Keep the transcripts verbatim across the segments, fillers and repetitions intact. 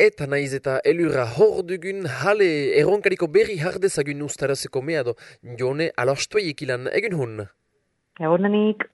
Eta naiz eta elurra hor dugun, hale erronkariko berri hardezagun ustarazeko meado, jone alostuei ikilan egun hun. Egunenik.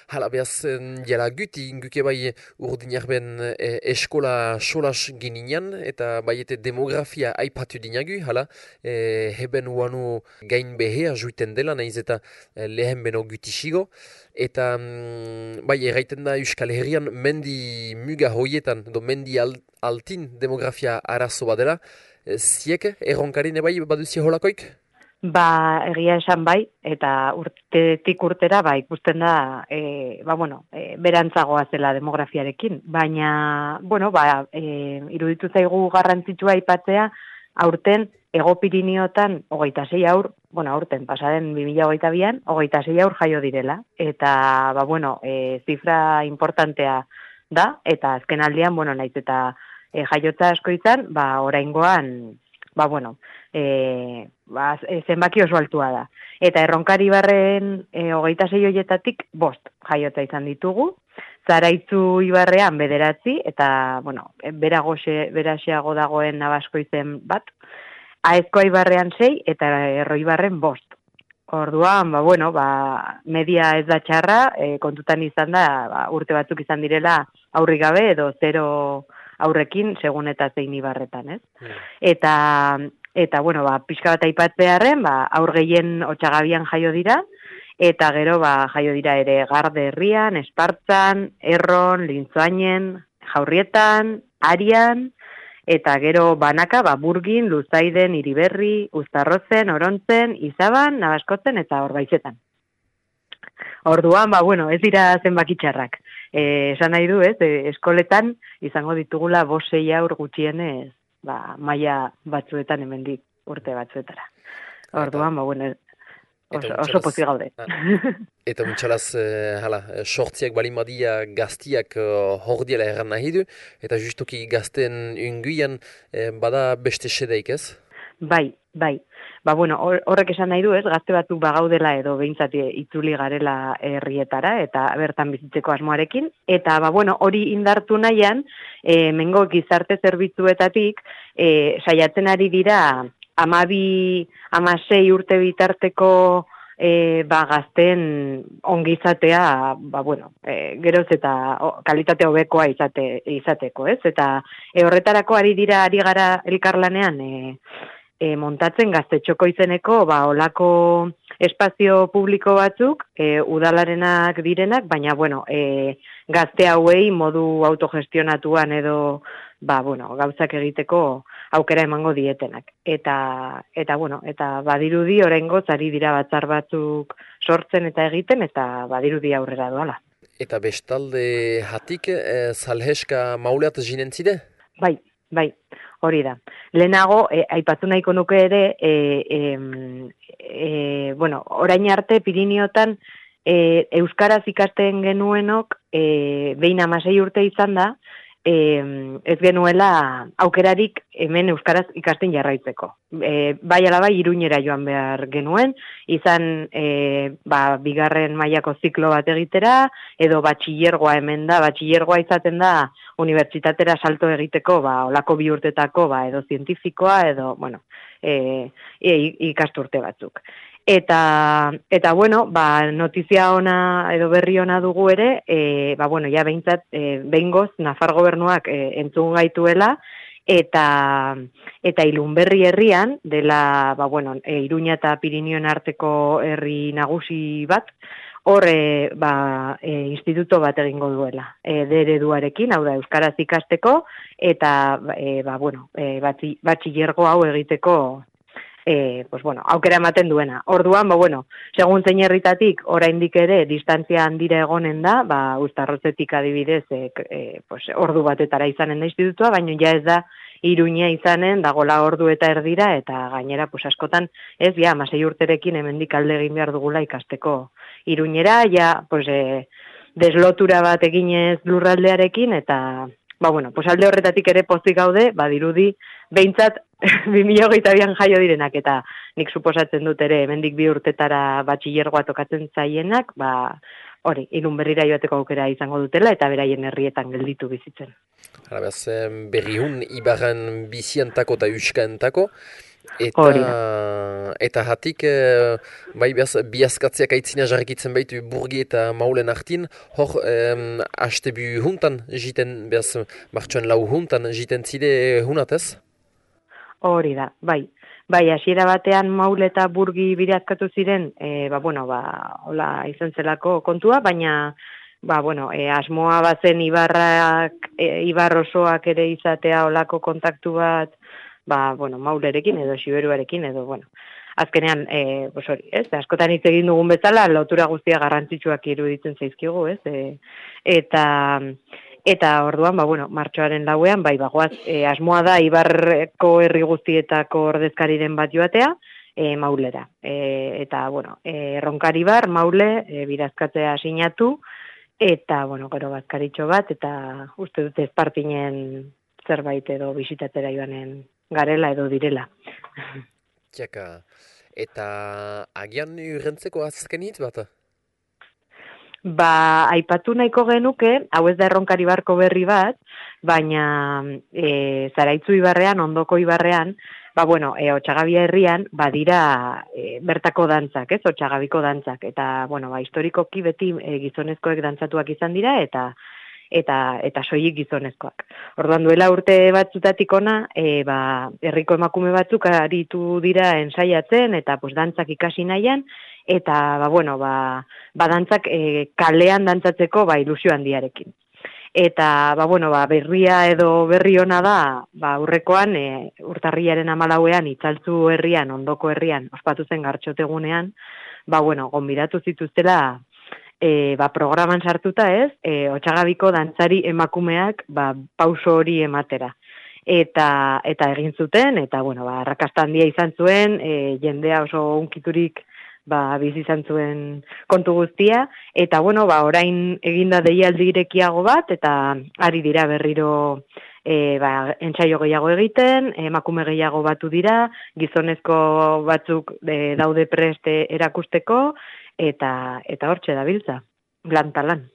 Hala behaz, jela guti, guke bai urdinak ben e, eskola solas gininan, eta bai eta demografia aipatu dinagu, hala, e, heben uanu gain behea juiten dela, naiz eta e, lehen beno gutisigo, eta mm, bai erraiten da Euskal Herrian mendi muga hoietan, do mendi al, altin demografia arazo badela, e, ziek erronkarin ebai baduzia holakoik? Ba, egia esan bai, eta urtetik urtera ba, ikusten da, e, ba, bueno, e, berantzagoa zela demografiarekin. Baina, bueno, ba, e, iruditu zaigu garrantzitsua aipatzea, aurten Hego Piriniotan hogeita sei aur, bueno, aurten pasaden bi mila hogeita bian, hogeita sei aur jaio direla. Eta, ba, bueno, e, zifra importantea da, eta azken aldian, bueno, naiz eta e, jaiotza asko izan, ba, oraingoan, ba, bueno, e, ba, zenbaki oso altua da. Eta erronkari barren e, hogeita sei hoietatik bost jaiotza izan ditugu, Zaraitzu ibarrean bederatzi, eta, bueno, beragoxe, beraxeago dagoen Nabasko izen bat, Aezkoa ibarrean sei, eta Erroi ibarren bost. Orduan, ba, bueno, ba, media ez da txarra, e, kontutan izan da, ba, urte batzuk izan direla aurrik gabe, edo zero aurrekin, segun eta zein ibarretan, ez? Yeah. Eta, eta, bueno, ba, pixka bat aipatzearen, ba, aur gehien Otsagabian jaio dira, eta gero, ba, jaio dira ere Garde herrian, Espartzan, Erron, Lintzoainen, Jaurrietan, Arian, eta gero banaka, ba, Burgin, Luzaiden, Iriberri, Uztarrozen, Orontzen, Izaban, Nabaskotzen eta Orbaizetan. Orduan, ba, bueno, ez dira zenbakitxarrak. Eh, esan nahi du, ez, e, eskoletan izango ditugula bost sei aur gutxienez, ba, maila batzuetan hemendik urte batzuetara. Orduan, ba, bueno, oso, oso pozik gaude. Eta muntxalaz, eh, hala, sortziak balimadia gaztiak uh, hor diela erran nahi du, eta justuki gazten unguian eh, bada beste sedeik, ez? Bai, bai. Ba, bueno, horrek esan nahi du, ez, gazte batzuk bagaudela edo behintzat itzuli garela herrietara eta bertan bizitzeko asmoarekin. Eta, ba, bueno, hori indartu nahian, e, mengo gizarte zerbitzuetatik, e, saiatzen ari dira amabi, amasei urte bitarteko e, ba, gazten ongizatea, ba, bueno, e, geroz eta o, kalitate hobekoa izate, izateko, ez? Eta e, horretarako ari dira, ari gara elkarlanean, e, E, montatzen gaztetxoko izeneko, ba, olako espazio publiko batzuk, e, udalarenak direnak, baina, bueno, e, gazte hauei modu autogestionatuan edo, ba, bueno, gauzak egiteko aukera emango dietenak. Eta, eta bueno, eta badirudi oraingoz ari dira batzar batzuk sortzen eta egiten, eta badirudi aurrera doala. Eta bestalde hatik, e, salheska mauleat jinentzide? Bai, bai. Hori da. Lehenago, e, aipatu nahiko nuke ere, e, e, e, bueno, orain arte Piriniotan e, euskaraz ikasten genuenok, e, behin amasei urte izan da, e, ez genuela aukerarik hemen euskaraz ikasten jarraitzeko. E, bai alabai Iruñera joan behar genuen, izan e, ba, bigarren mailako ziklo bat egitera, edo batxillergoa hemen da, batxillergoa izaten da, unibertsitatera salto egiteko, ba, olako bi urtetako, ba, edo zientifikoa, edo, bueno, e, e, ikasturte batzuk. Eta, eta bueno, ba, notizia ona edo berri ona dugu ere, e, ba, bueno, ja behintzat, e, behingoz, Nafar gobernuak e, entzun gaituela, eta, eta Ilunberri herrian, dela, ba, bueno, e, Iruña eta Pirinioen arteko herri nagusi bat, hor, e, ba, e, instituto bat egingo duela, e, D ereduarekin, hau da, euskaraz ikasteko, eta, e, ba, bueno, e, batzi, batxillergo hau egiteko, e, pues, bueno, aukera ematen duena. Orduan, ba, bueno, segun zein herritatik, oraindik ere, distantzia handira egonen da, ba, Uztarrozetik adibidez, e, e, pues, ordu batetara izanen da institutua, baina ja ez da, Iruña izanen, dagola ordu eta erdira, eta gainera, pues, askotan, ez, ja, amasei urterekin hemendik alde egin behar dugula ikasteko Iruñera, ja, pues, e, deslotura bat eginez lurraldearekin, eta, ba, bueno, pues, alde horretatik ere pozik gaude, badirudi, behintzat, bi mila hogeita bian jaio direnak, eta nik suposatzen dut ere, hemendik bi urtetara batxillergoa tokatzen zaienak, ba, hori, Irun Berrira joateko aukera izango dutela eta beraien herrietan gelditu bizitzen. Hala behaz, berriun ibarran biziantako eta euskaentako, Hori da. eta eta hatik, eh, bai behaz, biazkatzeak aitzina jarrikitzen baitu burgi eta maulen hartin, hor, eh, hastebu huntan jiten, behaz, martxoen lau huntan jiten zide hunatez? Hori da, bai. Bai, hasiera batean maul eta burgi birazkatu ziren, e, ba, bueno, ba, hola izan zelako kontua, baina, ba, bueno, e, asmoa bazen ibarrak, e, ibar osoak ere izatea olako kontaktu bat, ba, bueno, maulerekin edo xiberuarekin edo, bueno, azkenean, e, pues hori, ez, askotan hitz egin dugun bezala, lotura guztia garrantzitsuak iruditzen zaizkigu, ez, e, eta... Eta orduan, ba, bueno, martxoaren lauean, bai, bagoaz, e, asmoa da Ibarreko herri guztietako ordezkariren bat joatea, e, maulera. E, eta, bueno, e, Ronkari bar, maule, e, birazkatzea sinatu, eta, bueno, gero bazkaritxo bat, eta uste dute espartinen zerbait edo bisitatzera joanen garela edo direla. Tiaka, eta agian urrentzeko azken hitz bat? Ba, aipatu nahiko genuke, hau ez da Erronkari barko berri bat, baina e, Zaraitzu ibarrean, ondoko ibarrean, ba, bueno, e, Otxagabia herrian, badira e, bertako dantzak, ez, Otxagabiko dantzak, eta, bueno, ba, historikoki beti e, gizonezkoek dantzatuak izan dira, eta eta eta soilik gizonezkoak. Orduan duela urte batzutatik ona, e, ba, herriko emakume batzuk aritu dira ensaiatzen, eta pues, dantzak ikasi nahian, eta, ba, bueno, ba, ba dantzak e, kalean dantzatzeko ba, ilusio handiarekin. Eta, ba, bueno, ba, berria edo berri ona da, ba, urrekoan, e, urtarriaren amalauean, itzaltzu herrian, ondoko herrian, ospatu zen gartxotegunean, ba, bueno, gonbidatu zituztela, e, ba, programan sartuta ez, e, Otxagabiko dantzari emakumeak, ba, pauso hori ematera. Eta, eta egin zuten, eta, bueno, ba, arrakasta handia izan zuen, e, jendea oso unkiturik, ba, bizi izan zuen kontu guztia, eta, bueno, ba, orain eginda deialdi irekiago bat, eta ari dira berriro e, ba, entsaio gehiago egiten, emakume gehiago batu dira, gizonezko batzuk e, daude preste erakusteko, eta eta hortxe dabiltza, lan talan.